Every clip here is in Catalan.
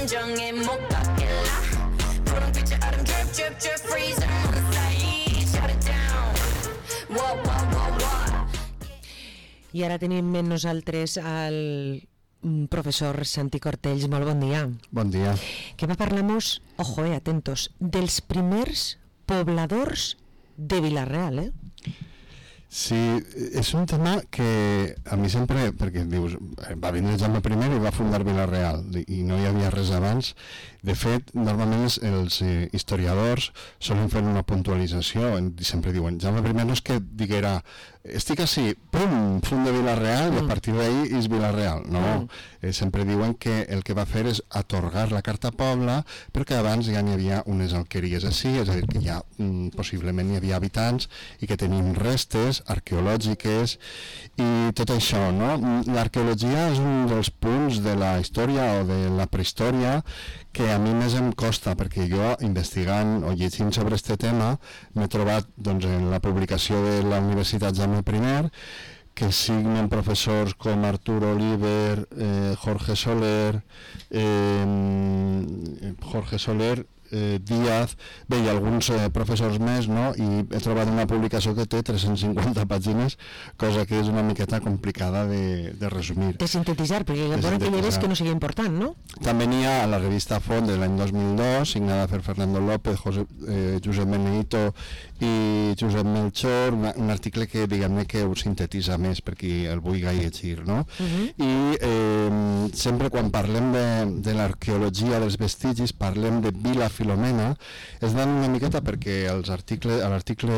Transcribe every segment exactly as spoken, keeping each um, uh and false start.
감정에 못 박힐라 푸른 빛의 얼음 drip drip drip freezing on stage shut it down whoa whoa whoa whoa. I ara tenim amb nosaltres el professor Santi Cortells. Molt bon dia. Bon dia. Que va parlar-nos, ojo, eh, atentos, dels primers pobladors de Vila-real, eh? Sí, és un tema que a mi sempre, perquè dius, va vindre Jaume I i va fundar Vila-real i no hi havia res abans. De fet, normalment els, els eh, historiadors solen fer una puntualització i sempre diuen, Jaume I no és que diguera estic així, pum, funda Vila-real mm. i a partir d'ahir és Vila-real. No, mm. eh, sempre diuen que el que va fer és atorgar la carta poble, però que abans ja n'hi havia unes alqueries així, és a dir, que ja mm, possiblement hi havia habitants i que tenien restes arqueològiques i tot això, no? L'arqueologia és un dels punts de la història o de la prehistòria que a mi més em costa, perquè jo, investigant o llegint sobre aquest tema, m'he trobat doncs, en la publicació de la Universitat Jaume I, que signen professors com Artur Oliver, eh, Jorge Soler, eh, Jorge Soler, eh, Díaz, bé, i alguns eh, professors més, no? I he trobat una publicació que té tres-cents cinquanta pàgines, cosa que és una miqueta complicada de, de resumir. De sintetitzar, perquè hi ha que hi ha que no sigui important, no? També n'hi ha a la revista Font de l'any dos mil dos, signada per Fernando López, José, eh, Josep Meneito i Josep Melchor, una, un article que diguem-ne que ho sintetitza més per qui el vulgui llegir, no? Uh-huh. I eh, sempre quan parlem de, de l'arqueologia dels vestigis, parlem de Vila Filomena, es dan una miqueta perquè els articles, a l'article,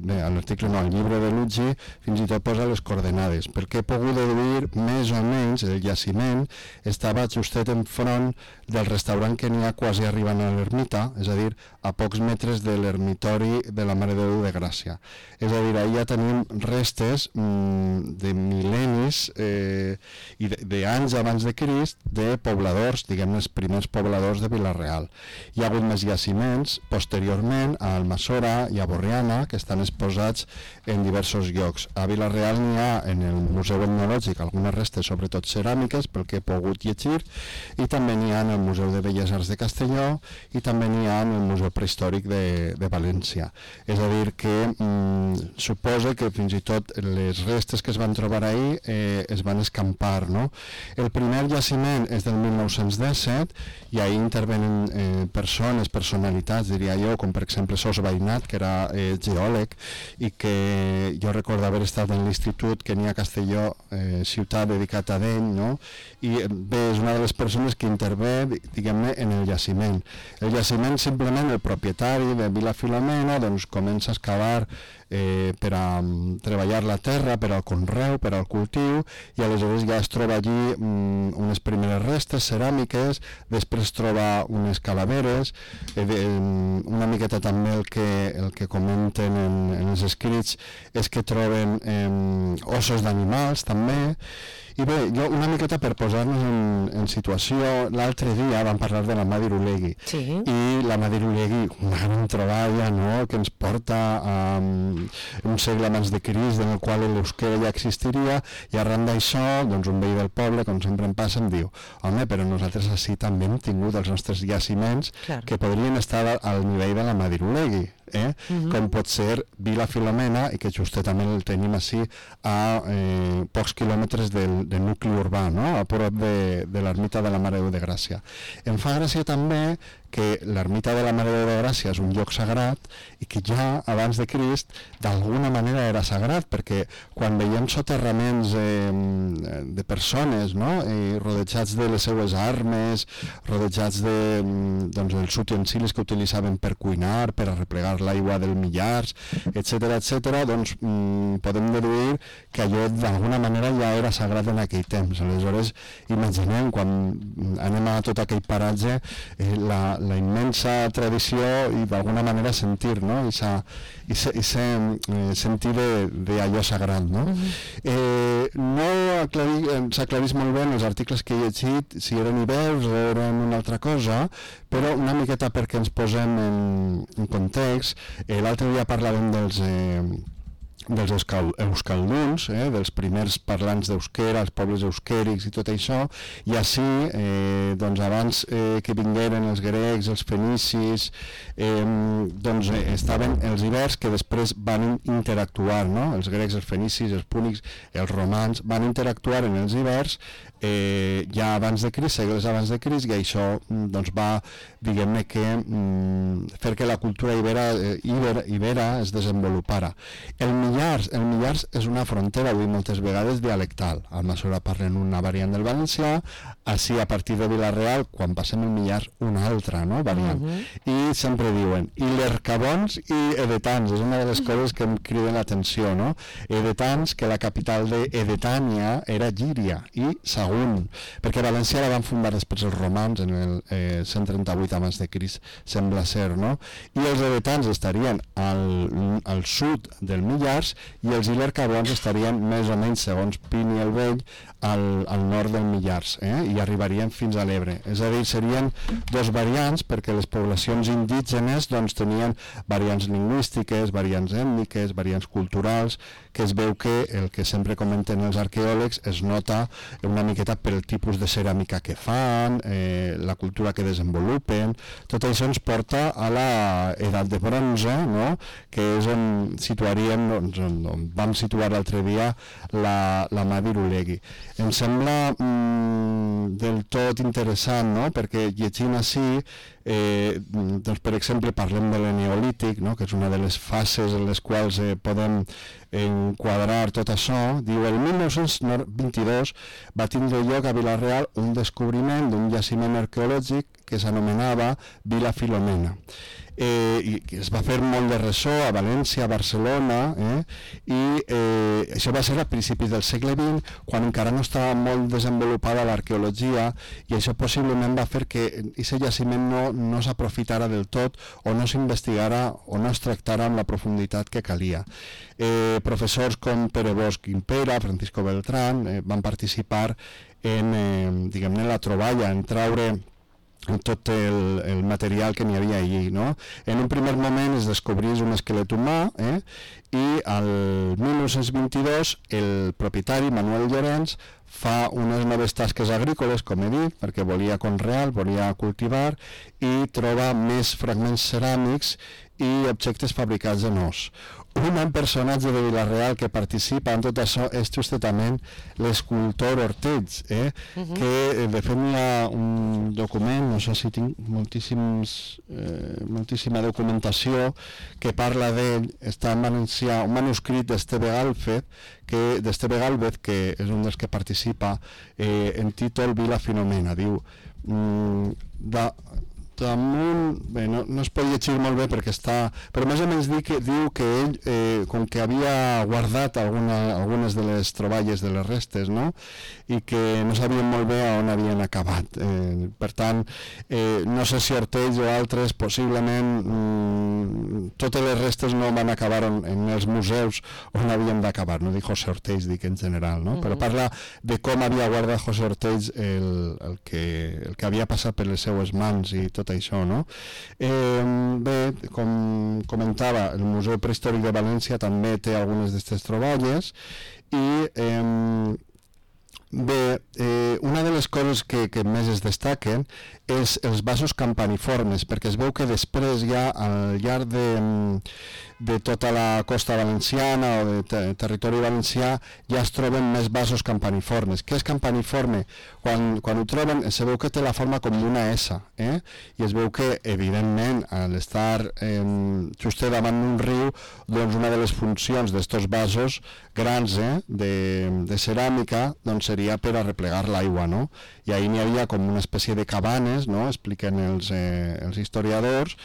bé, a l'article no, al llibre de Luggi fins i tot posa les coordenades, perquè he pogut deduir més o menys el jaciment estava justet enfront del restaurant que n'hi ha quasi arribant a l'ermita, és a dir, a pocs metres de l'ermitori de la Mare de Déu de Gràcia. És a dir, ahir ja tenim restes mm, de mil·lennis eh, i d'anys abans de Crist de pobladors, diguem-ne els primers pobladors de Vila-real. Hi ha hagut més jaciments posteriorment a Almassora i a Borriana que estan exposats en diversos llocs. A Vila-real n'hi ha en el Museu Etnològic algunes restes, sobretot ceràmiques, pel que he pogut llegir, i també n'hi ha en el Museu de Belles Arts de Castelló i també n'hi ha en el Museu Prehistòric de, de València. És a dir, que mm, suposa que fins i tot les restes que es van trobar ahir eh, es van escampar, no? El primer jaciment és del mil nou-cents disset i ahir intervenen eh, persones, personalitats, diria jo, com per exemple Sos Veïnat, que era eh, geòleg i que jo recordo haver estat en l'institut que n'hi ha a Castelló, eh, ciutat dedicat a d'ell, no? I bé, és una de les persones que intervé, diguem-ne, en el jaciment. El jaciment, simplement, el propietari de Vila Filomena, doncs comença a excavar eh, per a um, treballar la terra, per al conreu, per al cultiu, i aleshores ja es troba allí um, unes primeres restes ceràmiques, després troba unes calaveres, eh, de, una miqueta també el que, el que comenten en, en els escrits és que troben eh, ossos d'animals també. I bé, jo una miqueta per posar-nos en, en situació, l'altre dia vam parlar de la Madirulegui, sí. I la Madirulegui, una gran troballa, no?, que ens porta a um, un segle abans de Crist, en el qual l'euskera ja existiria, i arran d'això, doncs un veí del poble, com sempre em passa, em diu, home, però nosaltres així també hem tingut els nostres jaciments Clar. Que podrien estar al nivell de la Madirulegui. Eh? Uh-huh. Com pot ser Vila Filomena, i que justament el tenim així a eh, pocs quilòmetres del, del nucli urbà, no? A prop de, de l'ermita de la Mare de Déu de Gràcia. Em fa gràcia també que l'ermita de la Mare de Déu de Gràcia és un lloc sagrat i que ja abans de Crist d'alguna manera era sagrat, perquè quan veiem soterraments eh, de persones, no? I rodejats de les seues armes, rodejats de, doncs, dels utensilis que utilitzaven per cuinar, per arreplegar l'aigua del millars, etcètera, etcètera, doncs mmm, podem deduir que allò d'alguna manera ja era sagrat en aquell temps. Aleshores, imaginem, quan anem a tot aquell paratge, eh, la, la immensa tradició i d'alguna manera sentir, no? I sentir d'allò sagrat, no? Uh-huh. eh, no s'aclarís molt bé en els articles que he llegit si eren ibeus o eren una altra cosa, però una miqueta perquè ens posem en, en context. Eh, l'altre dia parlàvem dels, eh, dels euskal, euskalduns, eh, dels primers parlants d'euskera, els pobles euskèrics i tot això, i així, eh, doncs abans eh, que vingueren els grecs, els fenicis, eh, doncs eh, estaven els ibers que després van interactuar, no? Els grecs, els fenicis, els púnics, els romans, van interactuar en els ibers eh, ja abans de Crist, segles abans de Crist, i això doncs, va, diguem-ne que, mm, fer que la cultura ibera, eh, ibera, ibera es desenvolupara. El Millars, el Millars és una frontera, avui moltes vegades, dialectal. Al Almassora parlen una variant del valencià, així a partir de Vila-real, quan passem el Millars, una altra, no?, variant. Uh -huh. I sempre diuen, i l'Ercabons i Edetans, és una de les coses que em criden l'atenció, no? Edetans, que la capital d'Edetània era Llíria, i Sagunt, perquè València la van fundar després els romans en el eh, cent trenta-vuit abans de Crist, sembla ser, no? I els edetans estarien al, al sud del Millars i els ilercabons estarien més o menys, segons Plini el Vell, al, al nord del Millars, eh? I arribarien fins a l'Ebre. És a dir, serien dos variants, perquè les poblacions indígenes doncs, tenien variants lingüístiques, variants ètniques, variants culturals, que es veu que el que sempre comenten els arqueòlegs es nota una miqueta per el tipus de ceràmica que fan, eh, la cultura que desenvolupen. Tot això ens porta a la edat de bronze, no?, que és on situaríem, doncs, on, on vam situar l'altre dia la, la mà d'Irulegui. Em sembla mm, del tot interessant, no?, perquè llegint així, eh, doncs, per exemple, parlem de l'Eneolític, no?, que és una de les fases en les quals eh, podem enquadrar tot això. Diu, el mil nou-cents vint-i-dos va tindre lloc a Vila-real un descobriment d'un jaciment arqueològic que s'anomenava Vila Filomena. Eh, i es va fer molt de ressò a València, a Barcelona, eh, i eh, això va ser a principis del segle vint, quan encara no estava molt desenvolupada l'arqueologia, i això possiblement va fer que aquest jaciment no, no s'aprofitara del tot, o no s'investigara o no es tractara amb la profunditat que calia. Eh, professors com Pere Bosch Gimpera, Francisco Beltrán, eh, van participar en, eh, diguem-ne, la troballa, en traure tot el, el material que n'hi havia allí, no? En un primer moment es descobrís un esquelet humà, eh? I al mil nou-cents vint-i-dos el propietari Manuel Llorenç fa unes noves tasques agrícoles, com he dit, perquè volia conrear, volia cultivar, i troba més fragments ceràmics i objectes fabricats en os. Un personatge de Vila-real que participa en tot això és justament l'escultor Ortells, eh? Uh-huh. Que de fet hi ha un document, no sé si tinc moltíssims, eh, moltíssima documentació que parla d'ell, està en valencià, un manuscrit d'Esteve Gálvez, que, d'Esteve Gálvez, que és un dels que participa, eh, en títol Vila Filomena, diu, mm, de, damunt, bé, no, no es pot llegir molt bé perquè està, però més o menys diu que, diu que ell, eh, com que havia guardat alguna, algunes de les troballes de les restes, no?, i que no sabien molt bé on havien acabat. Eh, per tant, eh, no sé si Ortells o altres, possiblement mm, totes les restes no van acabar en, en els museus on havien d'acabar, no dic José Ortells, dic en general, no? Uh-huh. Però parla de com havia guardat José Ortells el, el, que, el que havia passat per les seues mans i tot això, no? Eh, bé, com comentava, el Museu Prehistòric de València també té algunes d'aquestes troballes i eh, bé, eh, una de les coses que, que més es destaquen és els vasos campaniformes, perquè es veu que després ja al llarg de, de tota la costa valenciana o de ter territori valencià ja es troben més vasos campaniformes. Què és campaniforme? Quan, quan ho troben se veu que té la forma com d'una S, eh? I es veu que evidentment a l'estar eh, just davant d'un riu, doncs una de les funcions d'estos vasos grans eh, de, de ceràmica doncs seria per arreplegar l'aigua, no? I ahir n'hi havia com una espècie de cabanes, no?, expliquen els, eh, els historiadors,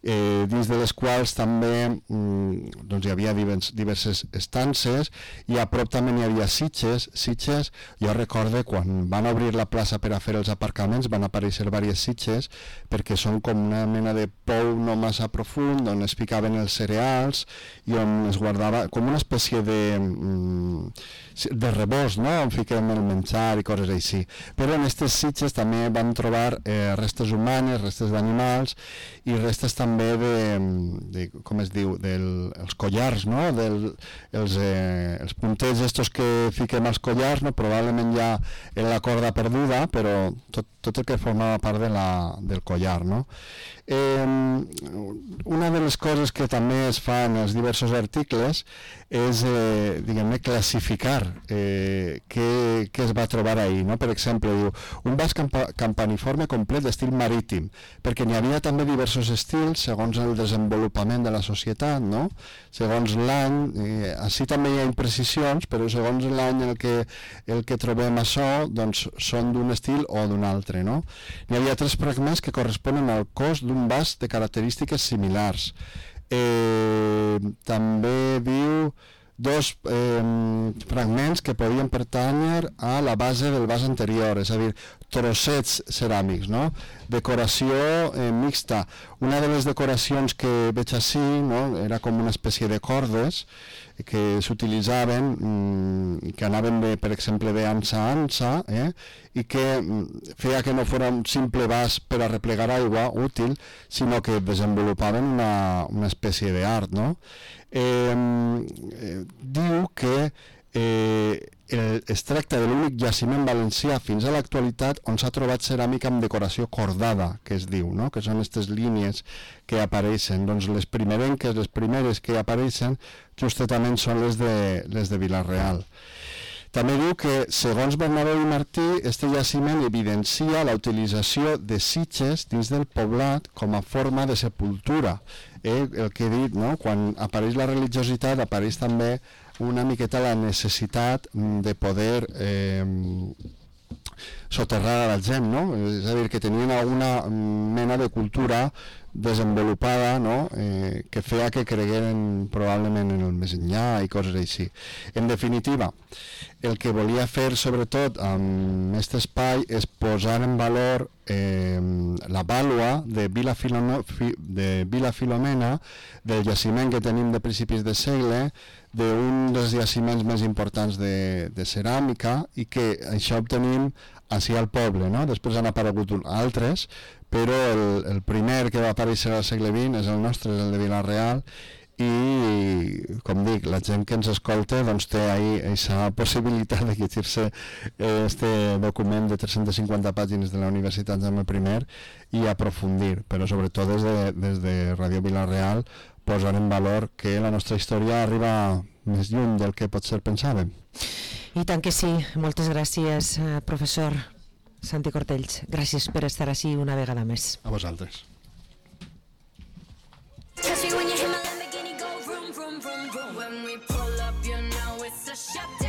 eh, dins de les quals també mm, doncs hi havia divers, diverses estances, i a prop també n'hi havia sitges, sitges, jo recorde quan van obrir la plaça per a fer els aparcaments van aparèixer diverses sitges, perquè són com una mena de pou no massa profund, on es ficaven els cereals i on es guardava com una espècie de mm, de rebost, no? On fiquem el menjar i coses així. Però en aquestes sitges també vam trobar eh, restes humanes, restes d'animals i restes també de, de com es diu, dels collars, no? Del, els, eh, els puntets estos que fiquem als collars, no? Probablement ja en la corda perduda, però tot, tot el que formava part de la, del collar, no? Eh, una de les coses que també es fa en els diversos articles és, eh, diguem-ne, classificar eh, què, què es va trobar ahir, no? Per exemple, diu, un vas campa campaniforme complet d'estil marítim, perquè n'hi havia també diversos estils segons el desenvolupament de la societat, no? Segons l'any, eh, així també hi ha imprecisions, però segons l'any en el que, el que trobem això, doncs són d'un estil o d'un altre, no? N'hi havia tres fragments que corresponen al cos d'un vas de característiques similars. Eh, també diu dos eh, fragments que podien pertànyer a la base del vas anterior, és a dir, trossets ceràmics, no? Decoració eh, mixta. Una de les decoracions que veig així, no? Era com una espècie de cordes que s'utilitzaven, mmm, que anaven, de, per exemple, d'ansa a ansa, eh? I que mm, feia que no fos un simple vas per a replegar aigua útil, sinó que desenvolupaven una, una espècie d'art, no? Eh, eh, diu que eh, el, es tracta de l'únic jaciment valencià fins a l'actualitat on s'ha trobat ceràmica amb decoració cordada, que es diu, no? Que són aquestes línies que apareixen. Doncs les primerenques, les primeres que apareixen justament són les de, les de Vila-real. També diu que, segons Bernabéu i Martí, este jaciment evidencia la utilització de sitges dins del poblat com a forma de sepultura. Eh, el que he dit, no? Quan apareix la religiositat, apareix també una miqueta la necessitat de poder eh, soterrar a la gent, no? És a dir, que tenien alguna mena de cultura desenvolupada, no? eh, que feia que cregueren probablement en el més enllà i coses així. En definitiva, el que volia fer sobretot amb aquest espai és posar en valor eh, la vàlua de Vila, Filomena, de Vila Filomena, del jaciment que tenim de principis de segle, d'un dels jaciments més importants de, de ceràmica, i que això obtenim així al poble, no? Després han aparegut altres, però el, el primer que va aparèixer al segle vint és el nostre, és el de Vila-real, i, com dic, la gent que ens escolta doncs té ahí aquesta possibilitat de llegir-se este document de tres-centes cinquanta pàgines de la Universitat Jaume I i aprofundir, però sobretot des de, des de Ràdio Vila-real posar en valor que la nostra història arriba més lluny del que potser pensàvem. I tant que sí. Moltes gràcies, professor Santi Cortells. Gràcies per estar així una vegada més. A vosaltres. Catch me when you hear my Lamborghini go vroom, vroom, vroom, vroom. When we pull up, you know it's a shut